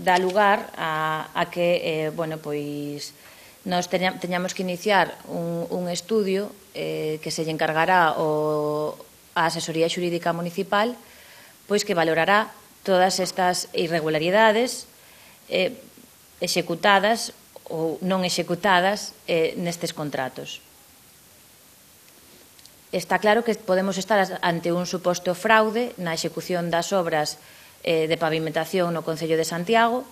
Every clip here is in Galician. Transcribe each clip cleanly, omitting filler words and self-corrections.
dá lugar a que, nos teñamos que iniciar un estudio que se lle encargará a Asesoría Xurídica Municipal, pois que valorará todas estas irregularidades executadas ou non executadas nestes contratos. Está claro que podemos estar ante un suposto fraude na execución das obras de pavimentación no Concello de Santiago,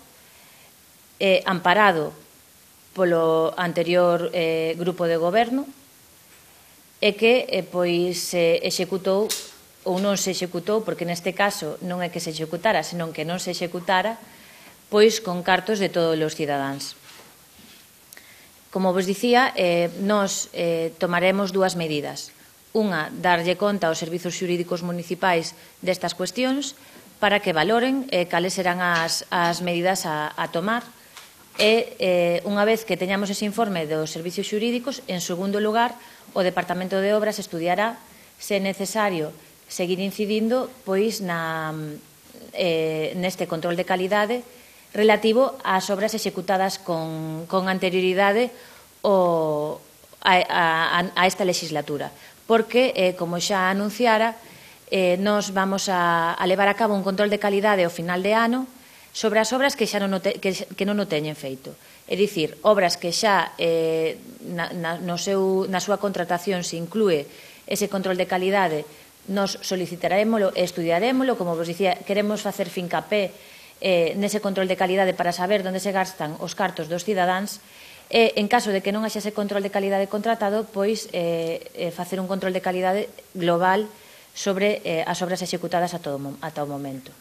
amparado polo anterior grupo de goberno, e que se executou ou non se executou, porque neste caso non é que se executara, senón que non se executara, pois con cartos de todos os cidadáns. Como vos dicía, nos tomaremos dúas medidas. Unha, darlle conta aos servizos xurídicos municipais destas cuestións para que valoren cales serán as medidas a tomar e, unha vez que teñamos ese informe dos servizos xurídicos, en segundo lugar, o Departamento de Obras estudiará se é necesario seguir incidindo pois neste control de calidade relativo ás obras executadas con anterioridade a esta legislatura. Porque, como xa anunciara, nos vamos a levar a cabo un control de calidade ao final de ano sobre as obras que non o teñen feito. É dicir, obras que xa na súa contratación se inclúe ese control de calidade, nos solicitarémolo e estudiarémolo. Como vos dicía, queremos facer fincapé nese control de calidade para saber onde se gastan os cartos dos cidadáns. En caso de que non haxa ese control de calidade contratado, pois facer un control de calidade global sobre as obras executadas ata o momento.